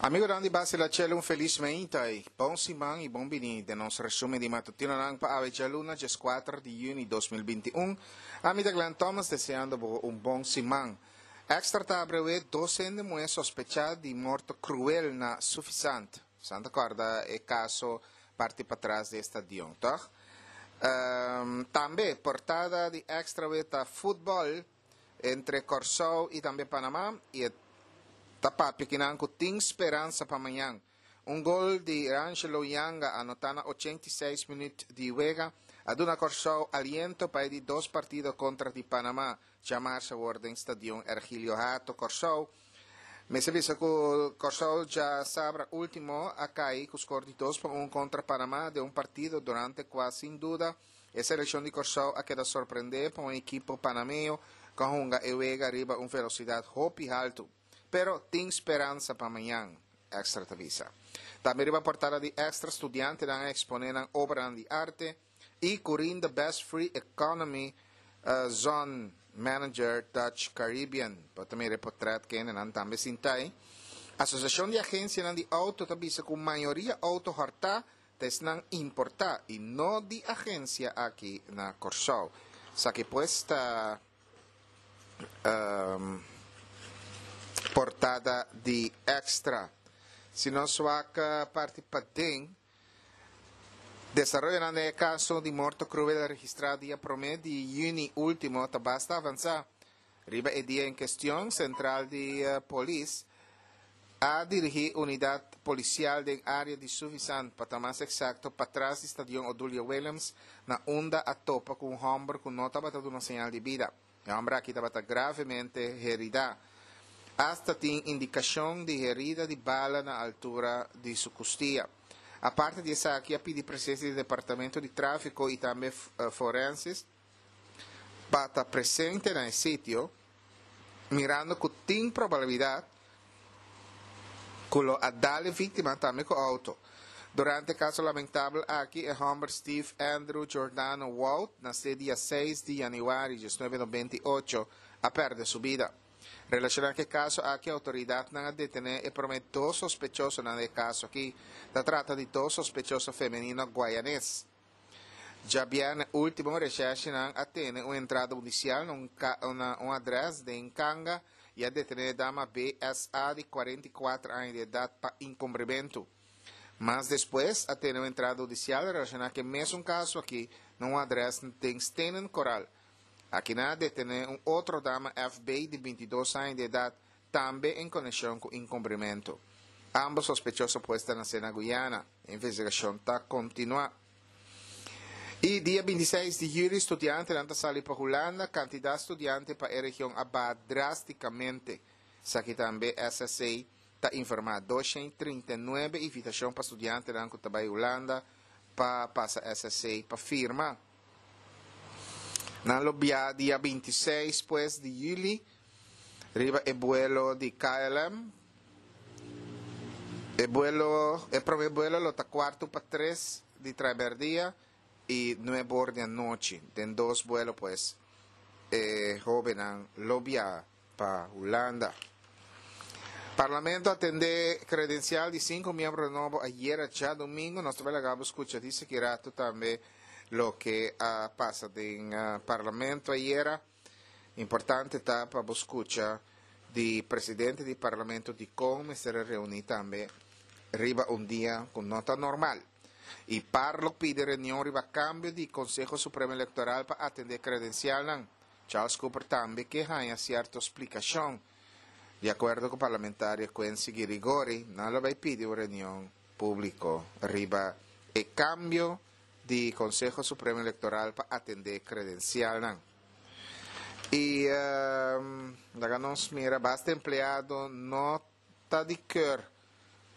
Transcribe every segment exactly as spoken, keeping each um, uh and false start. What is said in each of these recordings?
Amigonan di Basila Chelo, un felis mainta i bon siman i bon bini den nos resumen di matutinonan pa awe djaluna dieskuater di yüni dos mil binti un. Ami ta Glenn Thomas deseando bo un bon siman. Extra ta abrewé dos hende muhé sospechá di morto kruel na Suffisant. San ta kòrda e kaso parti patras di e stadion, tòg? Tambe portada di Extra awe ta futbòl entre Kòrsou i tambe Panamá i e ta papia kinan ku tin speransa pa mañan. Un gol di Rangelo Janga anotá na ochenta i seis minüt di wega a duna Kòrsou aliento pa e di dos partido kontra di Panamá djamars awor den Stadion Ergilio Hato, Kòrsou. Mester bisa ku Kòrsou djasabra último a kai ku skor di dos pa un kontra Panamá den un partido durante kua sin duda e selekshon di Kòrsou a keda sorprendé pa un ekipo panameo ku a hunga e wega riba un velosidat hopi haltu. Pero tin speransa pa mañan, Extra ta bisa. Tambe riba portada di Extra studiantenan a eksponé nan obranan di arte i Curin the best free economy zone manager Dutch Caribbean. Bo ta mira e potret kendenan tambe sinta ei. Asosiashon di agensianan di outo ta bisa ku mayoria outo hòrtá ta esnan importá i no di agensia aki na Kòrsou. Esaki pues ta portada di Extra. Si nos wak parti paden, desaroyonan den e kaso di morto kruel registrá dia promé di yüni último ta basta avansá. Riba e dia en kestion, sentral di polis a dirigí unidat polisial den área di Suffisant, pa ta mas eksakto patras di Stadion Odulio Williams, na unda a topa ku un hòmber ku no tabata duna señal di bida. E hòmber aki tabata gravemente heridá. Asta tin indikashon di herida di bala na altura di su kustia. Aparte di esaki a pidi presensia di Departamento di Tráfiko i tambe Forensis pa ta presente na e sitio, mirando ku tin probabilidat ku lo a dal e víktima tambe ku outo. Durante e kaso lamentabel aki, e hòmber Steve Andrew Giordano Wout, nasé dia seis di yanüari diesnuebe nobenta i ocho, a pèrdè su bida. Relashoná ku e kaso aki, outoridatnan a detené e promé dos sospechosonan di e kaso aki. Ta trata di dos sospechoso femenino guayanes. Djabièrnè último, reshèrshinan a tene un entrada hudisial na un na un adrès den Kanga i a detené e dama B S A di kuarenta i kuater aña di edat pa inkumbrimentu. Mas despues a tene un entrada hudisial relashoná ku e mesun kaso aki na un adrès den Stenen Koral. Akinan a detené un otro dama F B di binti dos aña di edat tambe en konekshon ku inkumbrimentu. Ambos sospechoso pues ta nasé na Guyana. E investigashon ta kontinuá. I dia binti seis di yüli studiantenan ta sali pa Hulanda. Kantidat studiante pa e region a baha drástikamente. Esaki tambe S S C ta informá. Doshent trinta i nuebe invitashon pa studiantenan ku ta bai Hulanda pa pasa S S C pa firma. Nan lo bia dia binti i seis pues di yüli riba e buelo di K L M. E buelo, e prome buelo lo ta kuartu pa tres di traberdia i nuebe or di anochi. Den dos buelo pues e hobennan lo bia pa Hulanda. Parlamento a tende credencial di cinco miembro nobo ayera djadomingo. Nos ta bai laga bo scucha di seki rato tambe loke a pasa den Parlamento ayera. Importante ta pa bo scucha di presidente di Parlamento dicon mester a reuni tambe riba un dia cu no ta normal. Y par lo pidi reunion riba cambio di Conseho Supremo Electoral pa atende credencialnan. Charles Cooper tambe ke haña sierto splikashon. Di akuerdo ku parlamentario Quincy Girigori, nan lo bai pidi un reunion públiko riba e kambio di Konseho Supremo Elektoral pa atendé kredensialnan. I laga nos mira, basta empleado no ta di keur,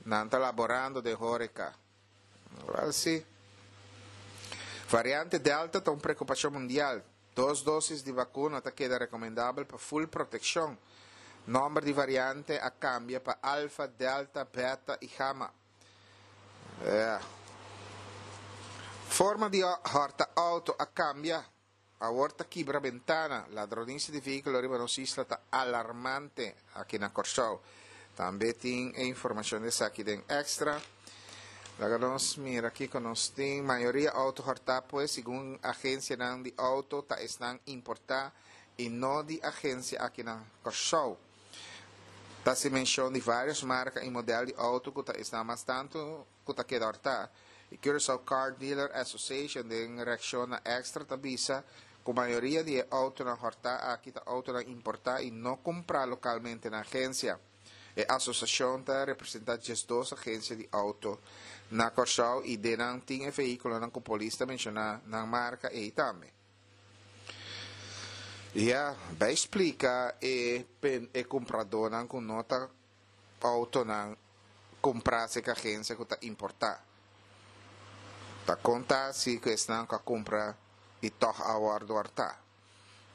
nan ta laborando den hóreka. Wèl sí. Variante Delta ta un preokupashon mundial. Dos dosis di vakuna ta keda rekomendabel pa ful protekshon. Nòmber di variante a kambia pa Alfa, Delta, Beta i Gamma. Yeah. Forma di hòrta outo a kambia. Awor ta kibra bentana. Ladronisia di vehíkulo riba nos isla ta alarmante aki na Kòrsou. Tambe tin informashon di esaki den Extra. Laga nos mira aki ku nos tin mayoria outo hòrtá, pues segun agensianan di outo ta esnan importá i no di agensia aki na Kòrsou. Ta hasi menshon di vários marka i modèl di outo ku ta esnan mas tantu ku ta keda hòrtá. E Curaçao Car Dealer Association den reakshon na Extra ta bisa ku mayoria di e outonan hòrtá aki ta outonan importá i no kumprá lokalmente na agensia. E asosiashon ta representá diesdos agensia di outo na Kòrsou i den nan tin e vehíkulonan ku polis ta menshoná nan marka ei tambe. Ya, bai splika e e kumpradónan ku no ta outonan kumprá serka agensia ku ta importá. Ta konta si ku esnan ku a kumpra i tòg a wòrdu hòrtá.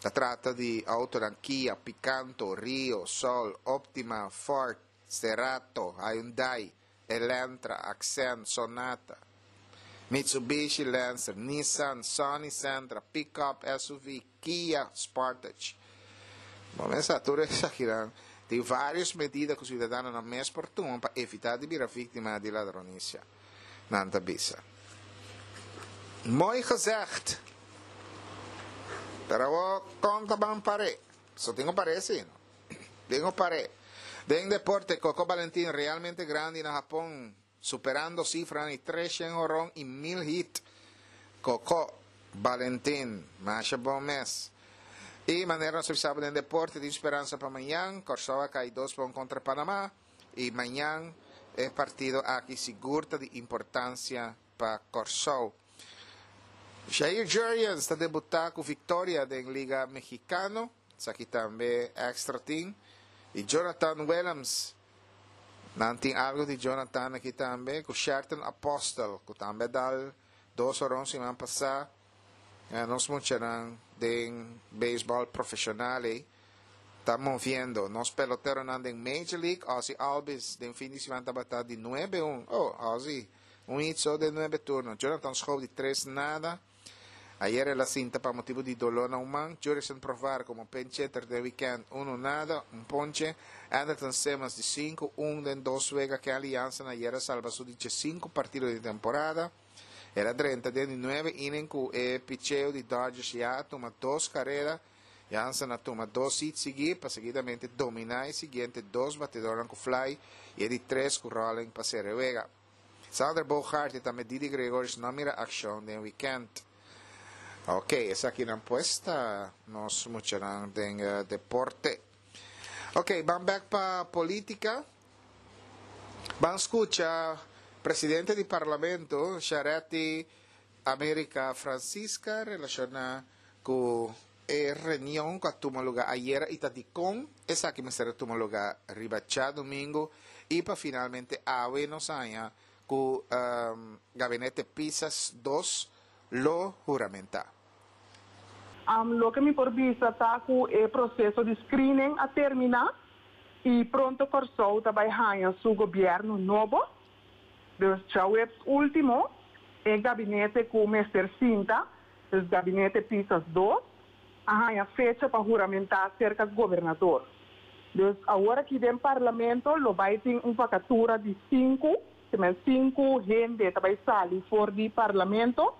Ta trata di outonan Kia, Picanto, Rio, Soul, Optima, Ford, Cerato, Hyundai, Elantra, Accent, Sonata, Mitsubishi Lancer, Nissan, Sony Sentra, Pickup S U V, Kia Sportage. Bon, mesa tur esakinan. Tin vários medida ku siudadanonan mes por tuma pa evitá di bira víktima di ladronisia. Nan ta bisa. Mooi gezegd. Pero konta ban pare. So tengo parece, no? Tengo pare. Den deporte, Coco Valentín realmente grandi na Japon, superando sifra di tres honron i mil hit. Coco Valentín, masha bon mes. I manera nos sa den deporte, tin speransa pa mañan, Kòrsou kai dos pa un kontra Panamá i mañan e partido aki sigur ta di importansia pa Kòrsou. Jair Jurrjens ta debutá ku viktoria den Liga Mexicano, esaki tambe Extra tin. I Jonathan Williams, nan tin algu di Jonathan aki tambe, ku Sherton Apostel, ku tambe a dal dos honron siman pasá. Ja, nos muchanan den beisbòl profeshonal eh, ta moviendo. Nos peloteronan den Major League, Ozzie Albies, den fin di siman tabata di nuebe un. Oh, Ozzie, un hit so den nuebe turno. Jonathan Schoop di tres nada. Ayera el a sinta pa motibu di doló na un man. Jurickson Profar komo pinch hitter den weekend un nada, un ponche. Andrelton Simmons di sinku un den dos wega. Kenley Jansen ayera a salba su di sinku partido di temporada. El a drenta den nuebe inning ku e picheo di Dodgers ya a tuma dos karera. Jansen a tuma dos hits siguí pa seguidamente dominá e siguiente dos batedónan ku fly i e di tres ku rolling pa sera wega. Xander Bogaerts i tambe Didi Gregorius no a mira akshon den weekend. Ok, esakinan pues ta nos muchanan den uh, deporte. Ok, ban bèk pa polítika. Ban skucha presidente di parlamento, Charetti America Francisca, relashoná ku e reunion ku a tuma lugá ayera i ta dikon esaki mester a tuma lugá riba djadumingu i pa finalmente awe nos haña ku um, gabinete Pisas dos lo huramentá. Um, loke mi por bisa ta ku e proseso di screening a terminá i pronto Kòrsou ta bai haña su gobièrnu nobo. Dus djaweps último, e gabinete ku mester sinta, e gabinete Pisas dos, a haña fecha pa huramentá serka gobernador. Dus awor aki den parlamento lo bai tin un vakatura di sinku, sinku hende ta bai sali for di parlamento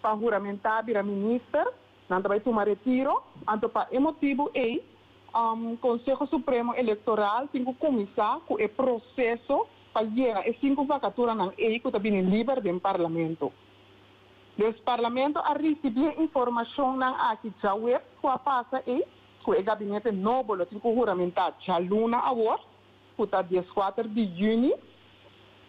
pa huramentá bira minister, nan ta bai tuma retiro, anto pa e motibu ei, um, Konseho Supremo Elektoral tin ku kuminsá ku e proseso pa yena e sinku vakaturanan ei ku ta bini liber den parlamento. Dus parlamento a risibí informashonnan aki djaweps ku a pasa ei, ku e gabinete nobo lo tin ku huramentá djaluna awor, ku ta dieskuater di yüni.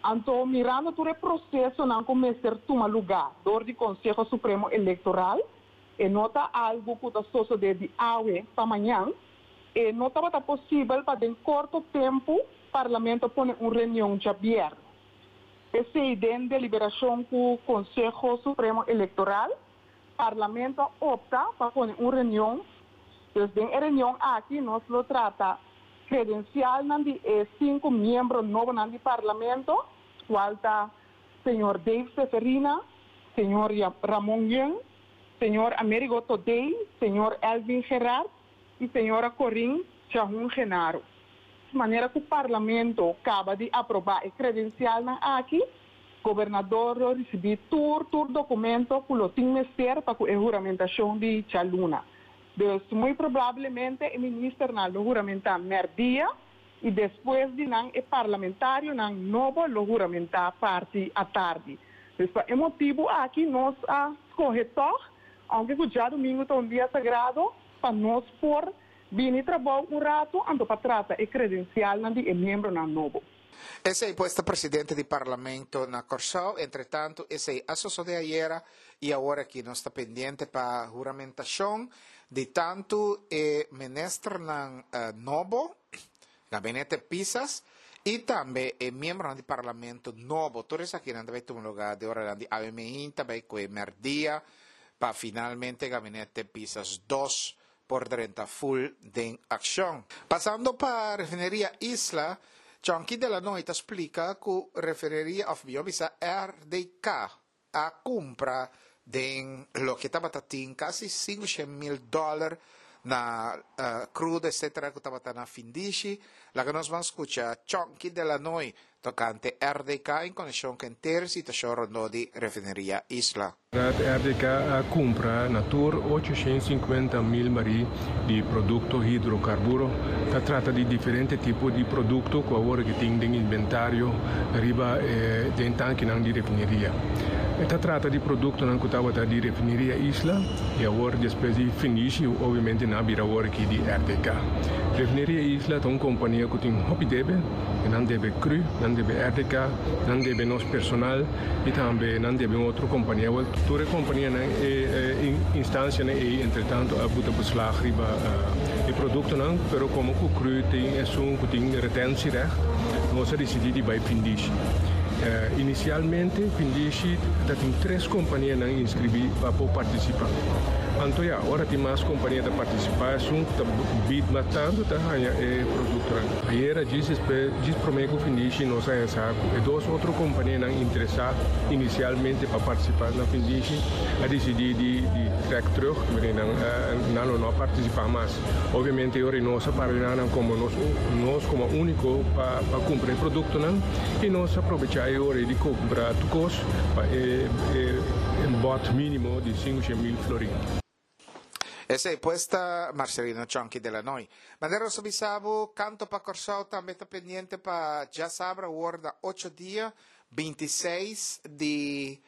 Anto, mirando tur e prosesonan ku mester tuma lugá dor di Konseho Supremo Elektoral, e no ta algu ku ta sosodé di awe pa mañan, e no tabata posibel pa den korto tempu parlamento pone un reunion djabièrnè. P'esei den deliberashon ku Konseho Supremo Elektoral, parlamento a opta pa pone un reunion. Dus den e reunion aki nos lo trata kredensialnan di e sinku miembro nobo di parlamento, kual ta señor Dave Seferina, señor Ramon Young, señor Amerigo Thodé, señor Elvin Gerard i señora Corinne Chahun Genaro. Manera ku parlamento kaba di aprobá e kredensialnan aki, gobernador lo risibí tur tur dokumento ku lo tin mester pa e huramentashon di djaluna. Dus muy probablemente e ministernan lo huramentá mèrdia i despues di nan e parlamentarionan nobo lo huramentá parti atardi. Dus pa e motibu aki nos a skohe toch, aunke ku djadumingu ta un dia sagrado, pa nos por bini trabou un ratu anto pa trata e kredensialnan di e miembronan nobo. Esei pues ta presidente di parlamento na Kòrsou. Entretantu, esei a sosodé ayera i awor aki nos ta pendiente pa huramentashon di tantu e ministernan uh, nobo, gabinete Pisas, i tambe e miembronan di parlamento nobo. Tur esakinan ta bai tuma lugá di ora di awe mainta bai ku mèrdia pa finalmente gabinete Pisas dos por drenta full den akshon. Pasando pa refineria Isla, Chonky de la Noy ta splika ku refineria òf mihó bisa R D K a kumpra den loke tabata tin kasi sinku mil dòler na uh, crude, et cetera ku tabata na findishi. Laga nos ban skucha Chonky de la Noy tokante R D K en konekshon ku henter situashon rondó di refineria Isla. R D K a kumpra na tur ochoshen sinkuenta mil barí di produkto hidrokarburo. Ta trata di diferente tipo di produkto ku awor ku tin den inventario riba eh, den tankenan di refineria. Ta trata di produktonan ku tabata di refineria Isla i awor despues di findishi obviamente nan a bira awor aki di R D K. Refineria Isla ta un kompania ku tin hopi debe, nan debe C R U, nan debe R D K, nan debe nos personal i tambe nan debe otro kompania. Tur kompanianan e, e instansianan ei entretantu a buta beslag riba e produktonan, pero komo ku C R U tin esun ku tin retentierecht, nos a disidí di bai findishi. Uh, inisialmente, findishi tabatin tres kompanianan inskribí pa partisipá. Anto ya, ora tin mas kompania ta partisipá, esun ta bid mas tantu ta haña e produkto. Ayera, djis djis promé ku findishi, nos a sa e dos otro kompanianan interesá inisialmente pa partisipá na findishi, a disidí di, di trek terug, nan, nan no partisipá mas. Obviamente, ora nos a para komo nos, nos komo úniko pa pa kumpra e produktonan i nos a probechá ora di kumpra kos pa e, e, un bod mínimo di sinku mil florin. Esei pues ta Marcelino Chonky de la Noy. Manera nos a bisa bo, Kanto pa Kòrsou tambe ta pendiente pa djasabra awor na ocho dia, bintiseis di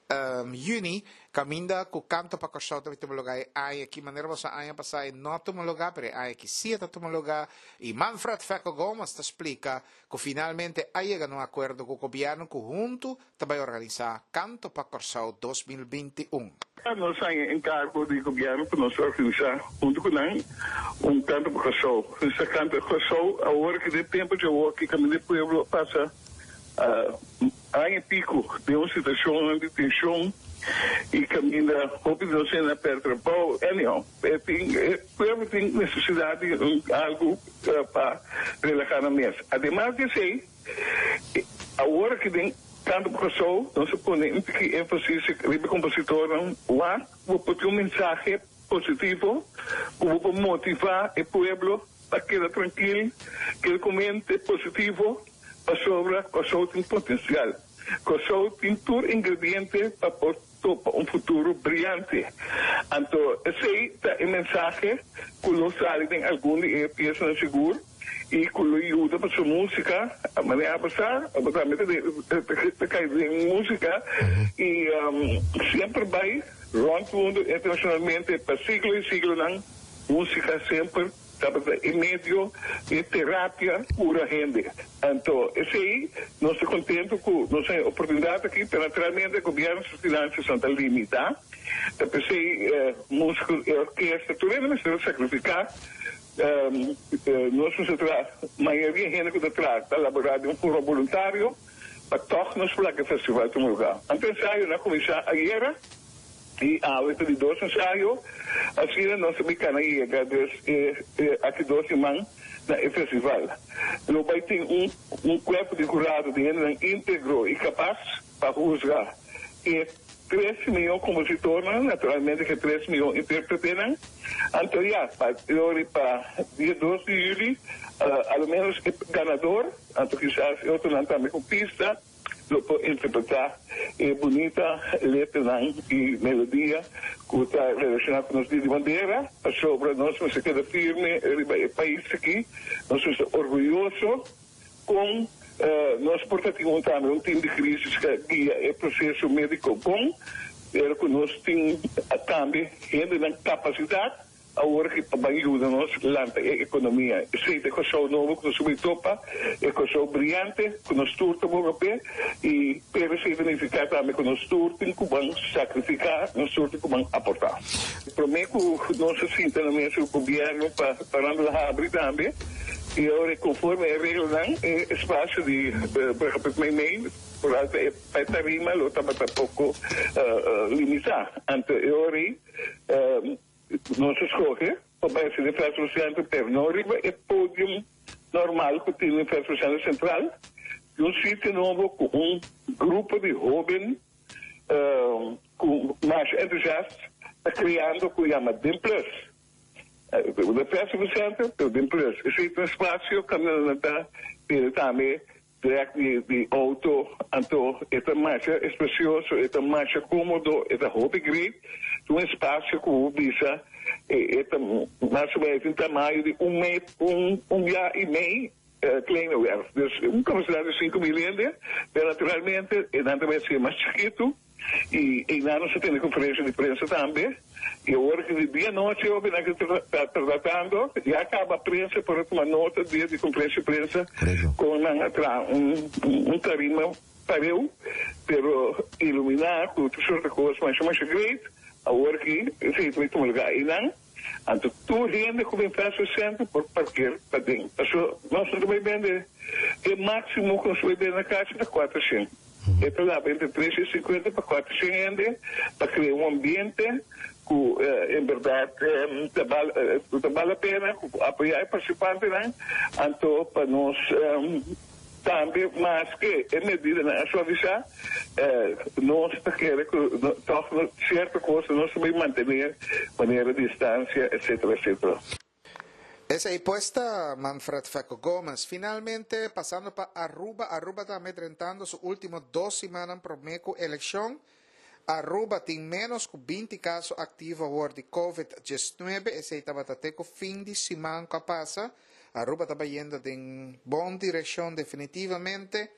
um, yüni, kaminda ku Kanto pa Kòrsou tambe tuma lugá aña aki. Manera bo sa, aña pasá no a tuma lugá, pero aña aki sí ta tuma lugá i Manfred Fecco Gomez ta splika ku finalmente a yega na un akuerdo ku gobièrnu ku huntu tambe ta organisá Kanto pa Kòrsou dos mil bintiun. Nos a haña enkargo di gobièrnu pa nos organisá huntu ku nan un Kanto pa Kòrsou. E Kanto pa Kòrsou, awor ku den tempu di awor ku kaminda pueblo a pasa uh, aña piku den un situashon di tenshon i kaminda hopi no a pèrdè trabou. Anyhow, tin, pueblo tin nesesidat di un, algu uh, pa relahá nan mes. Ademas di esei, awor ku den Kanto pa Kòrsou, nos ta pone un poko énfasis riba kompositornan, wak, bo por un mensahe positivo, ku por motivá e pueblo pa keda trankil, keda ku mente positivo, pasobra Kòrsou tin potensial. Kòrsou tin tur ingrediente pa por topa un futuro briante. Anto, esei ta e mensahe ku lo sali den algun di e piesanan sigur i ku lo yuda pa su músika, a manera pasá, tambe ta kai den músika i um, semper bai rònt mundu internashonalmente pa siglo i siglonan músika semper tabata e medio di terapia kura hende. Anto, esei, nos ta kontentu ku nos tin oportunidat aki, pero naturalmente gobièrnu su finansianan ta limitá. Ta p'esei eh, músiko i orkesta, tur hende mester sakrifiká. Um, nos ta mayoria hende ku ta traha, laborá di un forma voluntario, pa toch nos por laga e festival tuma lugá. Anto, ensayonan a kuminsá ayera, i awe di dos ensayo, asina nos ta kana yega dus eh, eh, aki dos siman na e festival. Lo bai tin un un kuerpo di hurado di hende íntegro i kapas pa husga e Tres mion kompositornan, naturalmente ku tres mion intérpretenan. Anto ya, pa pa dia dos di yüli, uh, al menos e ganador, anto kisas otronan tambe ku pista, lo por interpretá e bunita letra i melodia ku ta relashoná ku nos Dia di Bandera, pasobra nos mester keda firme riba e pais aki, nos ta orguyoso ku uh, nos por tin tambe un team di krísis ku guia e proseso médiko bon, pero ku nos tin tambe hende ku kapasidat awor ku pa yuda nos lanta e ekonomia. Esei ta e kos nobo ku nos ta topa, e kos briante ku nos tur ta p'e i pero esei ta nifiká tambe ku nos tur tin ku sakrifiká, nos tur tin ku aportá. Promé ku nos sinta na mesa ku gobièrnu pa pa habri tambe i awor konforme e reglanan e espasio di uh, mei por alto e tarima lo tabata poko uh, uh, limitá. Anto awor uh, nos a skohe pa bai den Festival Center, pero no riba e podium normal ku tin den Festival Center sentral, un sitio nobo ku un grupo di hóben uh, ku mas entusiasta ta kreando ku yama Den Plus. Uh, Festival Center, pero Den Plus. Esei ta un espasio ku ta tambe direct di, di outo, anto e ta mas espasioso, e ta mas kómodo, e ta hopi great, un espasio ku bisa e ta mas o ménos un tamaño di un, mei, un, un dia i mei uh, kleine werf. Dus un kapasidat di sinku mil hende, mas naturalmente, e ta bai ser mas chikitu, i, i nan nos tin konferensia di prensa tambe, i awor ku dia anochi eu ta tratando, ya kaba prensa por tuma nota dia di konferensia di prensa ku un, un, un tarima pareu, pero iluminá ku tur sorto di kos, mas mas great, awor ku esei ta tuma lugá einan. Anto tur hende ku bin Festival Center por parker paden. So, nos ta bai bende e máksimo ku nos ta bai bende na kas ta kuatershen. E ta entre tresshent i sinkuenta pa kuatershen hende pa kria un ambiente ku uh, en berdat um, ta bale la pena apoyá e partisipantenan, anto pa nos um, tambe mas ku e medidanan suavisá, eh, nos ke ku sierto kos nos ta bai mantené manera distansia, etcétera, etcétera. Esei pues ta Manfred Feco Gomez. Finalmente, pasando pa Aruba, Aruba ta drentando su último dos siman promé ku elekshon. Aruba tin menos ku binti kaso aktivo awor di COVID diesnuebe. Esei tabata te fin di siman ku a pasa. Aruba ta bayendo den bon direkshon definitivamente.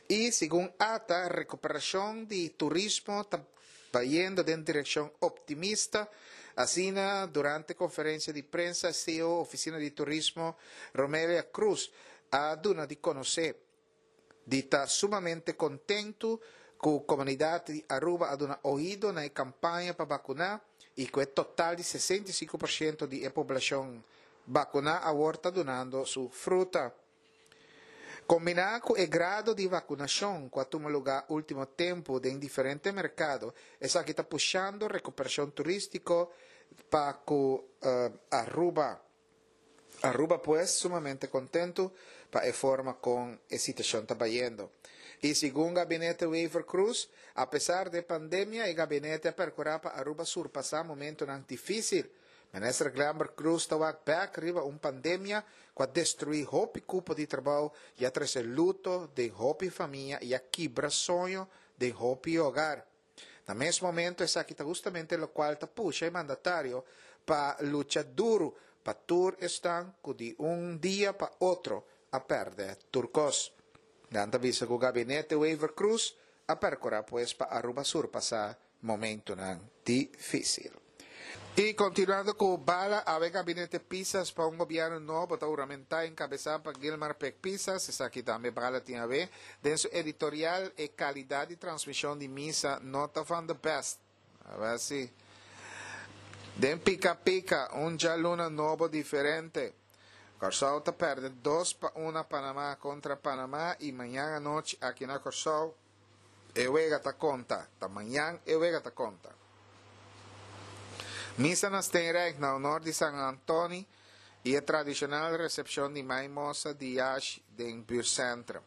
I segun ATA, rekuperashon di turismo ta bayendo den direkshon optimista. Asina, durante konferensia di prensa, C E O Ofisina di Turismo, Romelia Cruz, a duna di konosé di ta sumamente kontentu ku komunidat di Aruba a duna oido na kampaña pa vakuná i ku e total di sesenta i sinku porshento di poblashon vakuná awor ta dunando su fruta. Kombiná ku e grado di vakunashon ku a tuma lugá último tempu den diferente merkado, esaki ta pushando rekuperashon turístiko pa ku uh, Aruba. Aruba, pues, sumamente kontentu pa e forma kon e situashon ta bayendo. I segun gabinete Wever-Croes, apesar di pandemia, e gabinete a perkurá pa Aruba surpasá momento difísil. Minister Glenbert Croes ta wak bek riba un pandemia ku a destruí hopi kupo di trabou i a trese luto den hopi famia i a kibra soño den hopi hogar. Na mes momento, esaki ta hustamente loke ta pusha e mandatario pa lucha duru pa tur esnan ku di un dia pa otro a pèrdè tur kos. Nan ta bisa ku gabinete Wever Croes a perkurá pues pa Aruba surpasá momentonan difísil. I kontinuando ku bala, e gabinete Pisas pa un gobièrnu nobo ta huramentá enkabesá pa Gilmar Pik Pisas. Esaki tambe bala tin a ber. Den su editorial, e kalidat di transmishon di misa no ta van the best. A ber si. Den Pika Pika, un djaluna nobo diferente. Kòrsou ta pèrdè dos pa un Panamá kontra Panamá i mañan anochi aki na Kòrsou e wega ta konta. Ta mañan e wega ta konta. Misa na Steenrijk na honor di San Antoni i e tradishonal resepshon di Mai Mosa di Yash den buurtcentrum.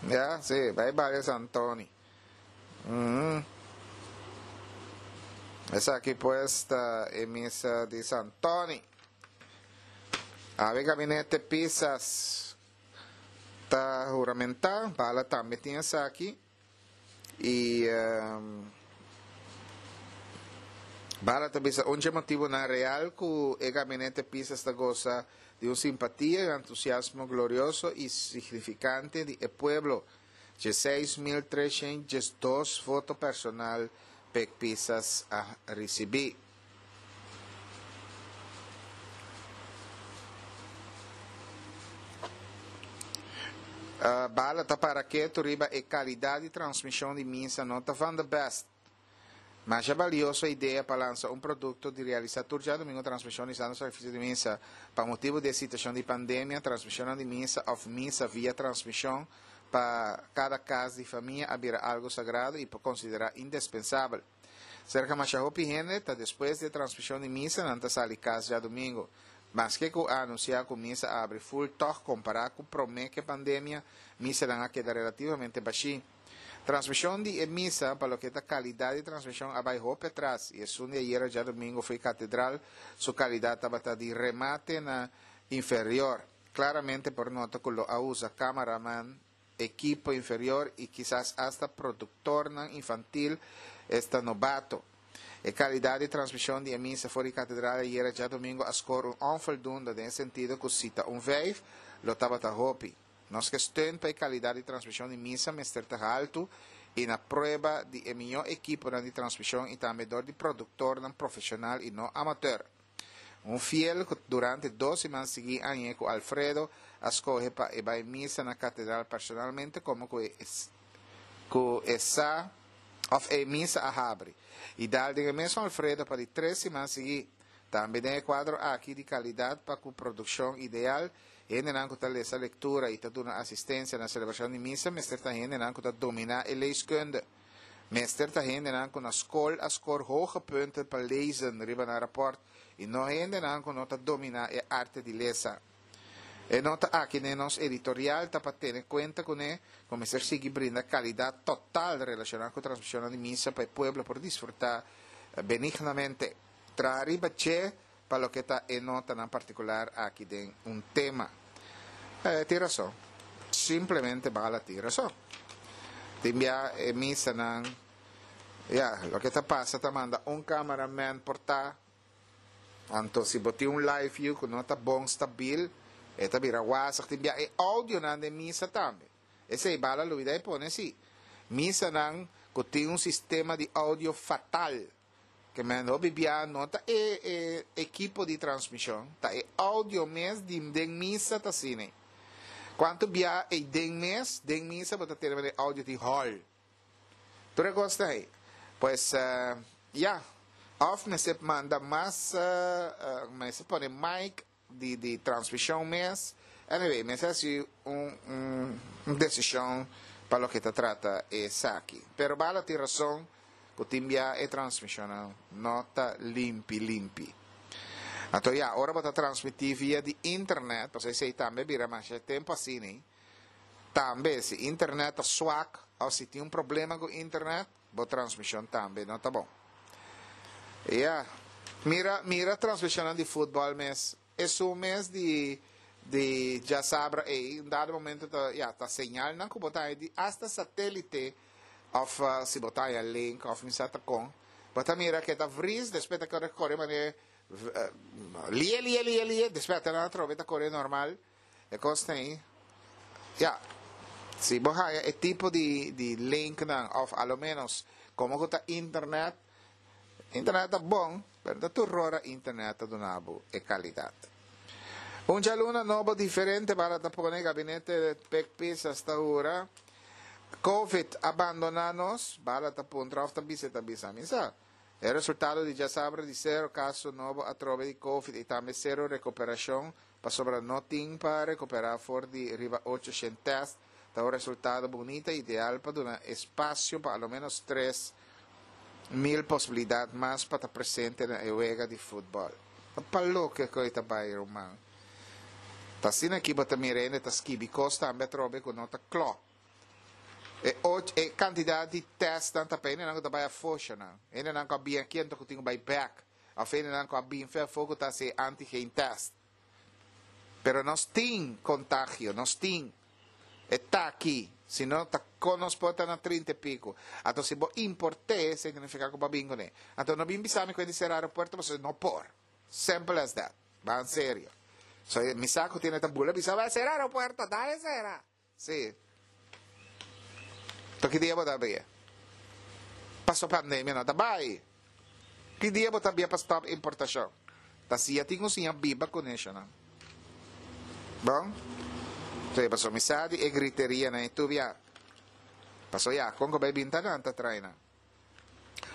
Ja, si, bai bai San Antoni. Mm. Esaki pues ta e misa di Santoni. Awe gabinete Pisas ta huramentá, Bala tambe tin esaki. I um, Bala ta bisa un motibonan real ku e gabinete Pisas ta gosa di un simpatia i entusiasmo glorioso i signifikante di e pueblo. diesseis mil treshen diesdos voto personal Pek Pisas a risibí. Uh, Bala ta para ketu riba e kalidat di transmishon di misa no ta van de best. Masha balioso idea pa lansa un produkto di realisá tur djadumingu transmishon di Santo Sakrifisio di Misa. Pa motibu di e situashon di pandemia, transmishonnan di misa òf misa via transmishon pa kada kas di famia a bira algu sagrado i por konsiderá indespensabel. Serka masha hopi hende ta despues di e transmishon di misa nan ta sali kas djadumingu. Maske ku a anunsiá ku misa a abri ful tòg kompará ku promé ku e pandemia, misanan a keda relativamente bashí. Transmishon di e misa pa loke ta kalidat di transmishon a bai hopi atras i esun di ayera djadumingu fo'i katedral su kalidat tabata di remate na inferior. Klaramente por nota ku lo a usa kameraman, ekipo inferior i kisas asta produktornan infantil, esta nobato. E kalidat di transmishon di e misa for di katedral ayera djadumingu a skor un onvoldoende den e sentido ku si ta un vijf lo tabata hopi. Nos ke steun pa e kalidat di transmishon di misa mester ta haltu i na prueba di e mihó ekiponan di transmishon i tambe dor di produktornan profeshonal i no amateur. Un fiel ku durante dos siman sigui añ'e ku Alfredo a skohe pa e bai misa na katedral personalmente komo ku e ku e sa òf e misa a habri i dal den e mesun Alfredo pa di tres siman sigui. Tambe den e kuadro aki di kalidat pa ku produkshon ideal, hendenan ku ta lesa lektura i ta duna asistensia na selebrashon di misa mester ta hendenan ku ta dominá e leeskunde. Mester ta hendenan ku na skol a skor hoge punten pa lezen riba nan rapòrt i no hendenan ku no ta dominá e arte di lesa. E nota aki den nos editorial ta pa tene kuenta kuné ku mester sigui brinda kalidat total relashoná ku transmishonnan di misa pa e pueblo por disfrutá benignamente. Traha riba dje pa loke ta e notanan partikular aki den un tema. E tin rason. Simplemente Bala tin rason. Tin bia e misanan, ya, loke ta pasa ta manda un cameraman por ta, anto si bo tin un live view ku no ta bon stabil, e ta bira wazig. Tin bia e audionan den misa tambe. Esei Bala lubida e pone si. Misanan ku tin un sistema di audio fatal. Ke men hopi bia no ta e e ekipo di transmishon, ta e audio mes di den misa ta asina. Kuantu bia ei den mes, den misa bo ta tene manera e audio tin hòl. Tur e kos ta ei. Pues, ya. Òf mester manda mas, mester pone mic di di transmishon mes. Anyway, mester hasi un un desishon pa loke ta trata esaki. Pero Bala tin rason. Ku tin bia e transmishonnan no ta limpi limpi. Anto ya, ora bo ta transmití via di internet, pasobra esei tambe a bira masha tempu asina, tambe si internet ta swak òf si tin un problema ku internet, bo transmishon tambe no ta bon. Ya, mira mira transmishonnan di futbòl mes, esun mes di di djasabra ei, un dado momento ta ya ta señalnan ku bo ta haña di asta satélite. Of si bo ta haña link of mi sa ta kon, bo ta mira ke ta vries, despues ta kore kore manera lie lie lie lie, despues ata nan atrobe ta kore normal. E kos ta ei. Ya, si bo haña e tipo di di linknan of a lo menos komo ku ta internet, internet ta bon, pero ta tur ora internet ta duna bo e kalidat. Un djaluna nobo diferente para ta pone gabinete Pek Pisas ta hura. Covid a bandoná nos? Bala ta puntra òf ta bisa e ta bisa? Mi sa. E resultado di djasabra di sero kaso nobo atrobe di Covid i tambe sero rekuperashon pasobra no tin pa rekuperá for di riba ocho shen tèst ta un resultado bunita i ideal pa duna espasio pa aloménos tres mil posibilidat mas pa ta presente na e wega di futbòl. Ta pa loke ku e ta bai ruman. Ta asina aki bo ta mira hende ta skibi kos tambe atrobe ku no ta klòp. E, e kantidat di tèst ta pa nan ku bai afó nan. Nan ku bin aki anto ku tin bai bèk. Òf nan ku bin afó ku ta hasi antigen test. Pero nos tin kontagio, nos tin. Ta aki. Si no, ta kon nos por ta na trinta i piko. Anto, si bo import'é, signifiká ku bo bin kuné. Anto, no bin bisa mi ku sera aeropuerto, pasobra no por. Simple as that. Ban serio. So, mi sa ku tin e bula, bisa bai sera aeropuerto, dale sera. Sí. Anto, ki dia bo ta habri? Paso pandemia no ta bai. Ki dia bo ta habri pa stòp importashon? Ta si tin ku siña biba kuné, no? Bon? Sí, paso mi sa di e griteria na tubia. Paso ya, kon bai binta nan ta traina.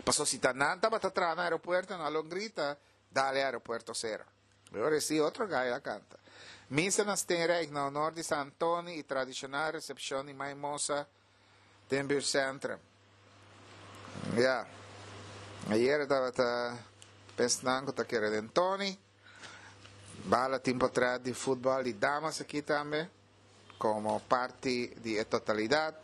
Paso si ta nan ta traha na aeropuerto, nan lo grita, dale aeropuerto sera. Awor sí, otro gai a kanta. Misa na Steenrijk na honor di San Antoni i tradishonal resepshon di Maimosa den buurtcentrum. Ja. Ayera tabata pensando ku ta kere Tony. Bala tempu atras di futbòl di damas aki tambe, komo parti di totalidat.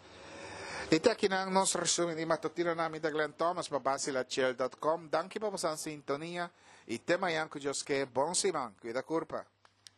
I te aki na nos resumen di matutino na mi Glenn Thomas pa basilachill punto com. Danki pa boso sintonia i te mañan ku Dios ke. Bon siman. Kuida kurpa.